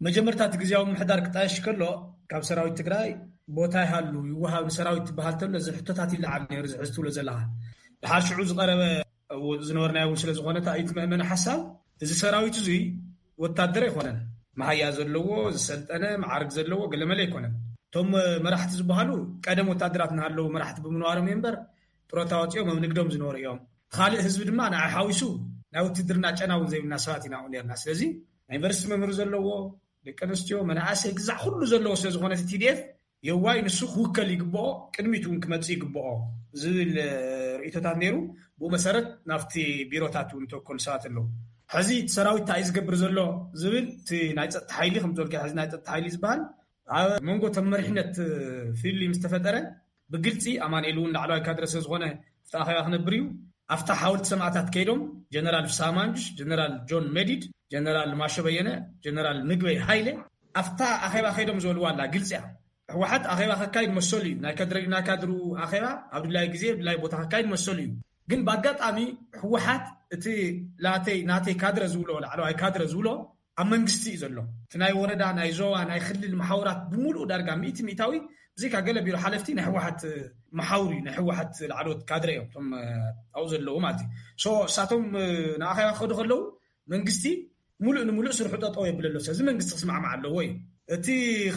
መጀመርታ እቲ ግዜያዊ ምሕዳር ክጣየሽ ከሎ ካብ ሰራዊት ትግራይ ቦታ ይሃሉ ይወሃብ ንሰራዊት ትበሃል ተሎ እዚ ሕቶታት ይለዓል ነይሩ። ዝሕዝ ትብሎ ዘለኻ ድሓር ሽዑ ዝቐረበ ዝነበርናዮ እውን ስለ ዝኾነ እቲ መእመኒ ሓሳብ እዚ ሰራዊት እዙይ ወታደር ኣይኮነን። መሃያ ዘለዎ ዝሰልጠነ መዓርግ ዘለዎ ገለመለ ኣይኮነን። እቶም መራሕቲ ዝበሃሉ ቀደም ወታደራት እናሃለዉ መራሕቲ ብምንባሮም እዮም እምበር ጥሮታ ወፂኦም ኣብ ንግዶም ዝነበሩ እዮም። ካልእ ህዝቢ ድማ ንዓይ ሓዊሱ ናይ ውትድርና ጨና እውን ዘይብልና ሰባት ኢና ኣብኡ ነርና። ስለዚ ናይ ዩኒቨርሲቲ መምህር ዘለዎ ደቂ ኣንስትዮ መናእሰይ ግዛዕ ኩሉ ዘለዎ ስለ ዝኾነ እቲ ቲዲኤፍ የዋይ ንሱ ክውከል ይግብኦ፣ ቅድሚት እውን ክመፅእ ይግብኦ ዝብል ርእቶታት ነይሩ። ብኡ መሰረት ናብቲ ቢሮታት እውን ተወከሉ ሰባት ኣለዉ። ሕዚ እቲ ሰራዊት እንታይ እዩ ዝገብር ዘሎ ዝብል እቲ ናይ ፀጥታ ሓይሊ ከም ዝበልካ ሕዚ ናይ ፀጥታ ሓይሊ ዝበሃል ኣብ መንጎ ተመሪሕነት ፍልልይ ምስ ተፈጠረ ብግልፂ ኣማንኤል እውን ላዕለዋይ ካድረ ስለ ዝኾነ ኣብቲ ኣኼባ ክነብር እዩ። ኣብታ ሓወልቲ ሰማእታት ከይዶም ጀነራል ፍስሃ ማንጁስ፣ ጀነራል ጆን መዲድ፣ ጀነራል ማሾ በየነ፣ ጀነራል ምግበይ ሃይለ ኣብታ ኣኼባ ከይዶም ዝበልዋ ኣላ ግልፂ እያ። ህወሓት ኣኼባ ከካይድ መሰሉ እዩ። ናይ ካድረ ናይ ካድሩ ኣኼባ ኣብ ድላይ ግዜ ድላይ ቦታ ከካይድ መሰሉ እዩ። ግን ብኣጋጣሚ ህወሓት እቲ ላተይ ናተይ ካድረ ዝብሎ ላዕለዋይ ካድረ ዝብሎ ኣብ መንግስቲ እዩ ዘሎ። እቲ ናይ ወረዳ ናይ ዞባ ናይ ክልል መሓውራት ብምሉእ ዳርጋ ሚእቲ ሚእታዊ ብዘይካ ገለ ቢሮ ሓለፍቲ ናይ ህወሓት መሓውር እዩ። ናይ ህወሓት ላዕለዎት ካድረ እዮም እቶም ኣብኡ ዘለዉ ማለት እዩ። ሶ እሳቶም ንኣኼባ ክኸዱ ከለዉ መንግስቲ ሙሉእ ንሙሉእ ስርሑ ጠጠው የብለሎ። ስለዚ መንግስቲ ክስማዕማዕ ኣለዎ እዩ። እቲ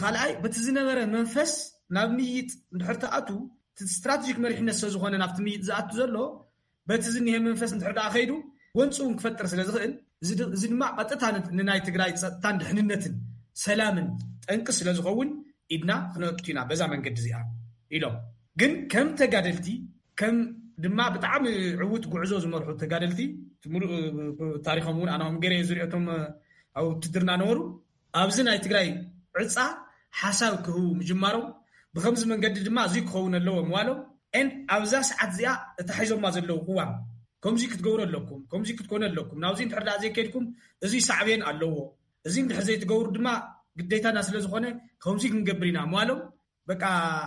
ካልኣይ በቲ ዝነበረ መንፈስ ናብ ምይጥ እንድሕር ተኣቱ እቲ ስትራቴጂክ መሪሕነት ስለ ዝኾነ ናብቲ ምይጥ ዝኣቱ ዘሎ በቲ ዝኒሀ መንፈስ እንድሕር ደኣ ከይዱ ጎንፂ እውን ክፈጥር ስለ ዝኽእል እዚ ድማ ቀጥታ ንናይ ትግራይ ፀጥታን ድሕንነትን ሰላምን ጠንቂ ስለ ዝኸውን ኢድና ክነእቱ ኢና በዛ መንገዲ እዚኣ ኢሎም። ግን ከም ተጋደልቲ ከም ድማ ብጣዕሚ ዕውት ጉዕዞ ዝመርሑ ተጋደልቲ ሙሉእ ታሪኮም እውን ኣናም ገይረ ዝሪኦቶም ኣብ ውትድርና ነበሩ። ኣብዚ ናይ ትግራይ ዕፃ ሓሳብ ክህቡ ምጅማሮም ብከምዚ መንገዲ ድማ እዙይ ክኸውን ኣለዎ ምባሎም ን ኣብዛ ሰዓት እዚኣ እታ ሒዞማ ዘለዉ ቅዋም ከምዚ ክትገብሩ ኣለኩም፣ ከምዚ ክትኮኑ ኣለኩም፣ ናብዚ እንድሕር ደኣ ዘይከድኩም እዚ ሳዕቤን ኣለዎ፣ እዚ እንድሕር ዘይትገብሩ ድማ ግዴታና ስለ ዝኾነ ከምዚ ክንገብር ኢና ምባሎም በቃ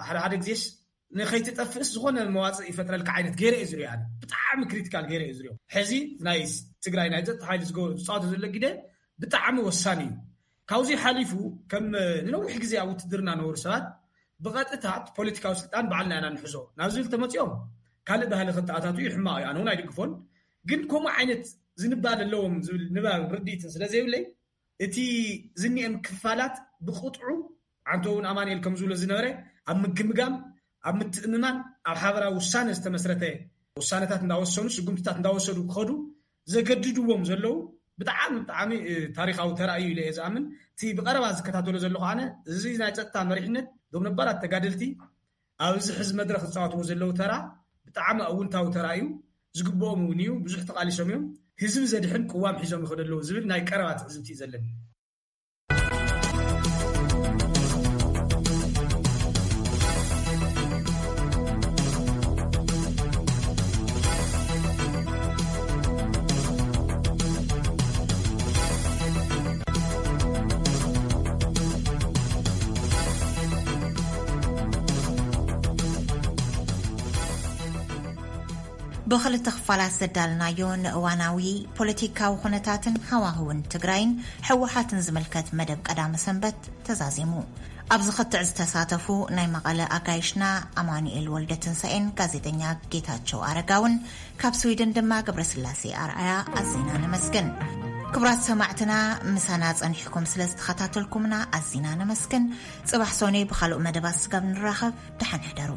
ሓደ ሓደ ግዜስ ንኸይትጠፍእስ ዝኾነ መዋፅእ ይፈጥረልካ ዓይነት ገይረ እዩ ዝሪኦ። ኣነ ብጣዕሚ ክሪቲካል ገይረ እዩ ዝሪኦ። ሕዚ ናይ ትግራይ ናይ ፀጥታ ሓይሊ ዝገ- ዝፃወቶ ዘሎ ግደ ብጣዕሚ ወሳኒ እዩ። ካብዚ ሓሊፉ ከም ንነዊሕ ግዜ ኣብ ውትድርና ነበሩ ሰባት ብቐጥታ እቲ ፖለቲካዊ ስልጣን ባዕልና ኢና ንሕዞ ናብ ዝብል ተመፂኦም ካልእ ባህሊ ከተኣታቱ እዩ ሕማቕ እዩ። ኣነ እውን ኣይድግፎን። ግን ከምኡ ዓይነት ዝንባል ኣለዎም ዝብል ንባብ ርድኢትን ስለ ዘይብለይ እቲ ዝኒኤም ክፋላት ብቕጥዑ ዓንቶ እውን ኣማንኤል ከም ዝብሎ ዝነበረ ኣብ ምግምጋም ኣብ ምትእምማን ኣብ ሓበራዊ ውሳነ ዝተመስረተ ውሳነታት እንዳወሰኑ ስጉምትታት እንዳወሰዱ ክኸዱ ዘገድድዎም ዘለዉ ብጣዕሚ ብጣዕሚ ታሪካዊ ተራ እዩ ኢለ እየ ዝኣምን። እቲ ብቀረባ ዝከታተሎ ዘለኹ ኣነ እዚ ናይ ፀጥታ መሪሕነት ዶም ነባራት ተጋደልቲ ኣብዚ ሕዚ መድረክ ዝፃወትዎ ዘለዉ ተራ ብጣዕሚ ኣውንታዊ ተራ እዩ። ዝግብኦም እውን እዩ። ብዙሕ ተቃሊሶም እዮም። ህዝቢ ዘድሕን ቅዋም ሒዞም ይኸዱ ኣለዉ ዝብል ናይ ቀረባ ትዕዝብቲ እዩ ዘለኒ። ብኽልተ ክፋላት ዘዳልናዮ ንእዋናዊ ፖለቲካዊ ኩነታትን ሃዋህውን ትግራይን ህወሓትን ዝምልከት መደብ ቀዳመ ሰንበት ተዛዚሙ። ኣብዚ ክትዕ ዝተሳተፉ ናይ መቐለ ኣጋይሽና ኣማኑኤል ወልደ ትንሳኤን ጋዜጠኛ ጌታቸው ኣረጋውን ካብ ስዊድን ድማ ገብረስላሴ ኣርኣያ ኣዚና ነመስግን። ክቡራት ሰማዕትና ምሳና ጸኒሕኩም ስለ ዝተኸታተልኩምና ኣዚና ነመስግን። ጽባሕ ሶኔ ብኻልእ መደባት ስጋብ ንራኸብ ደሓን ሕደሩ።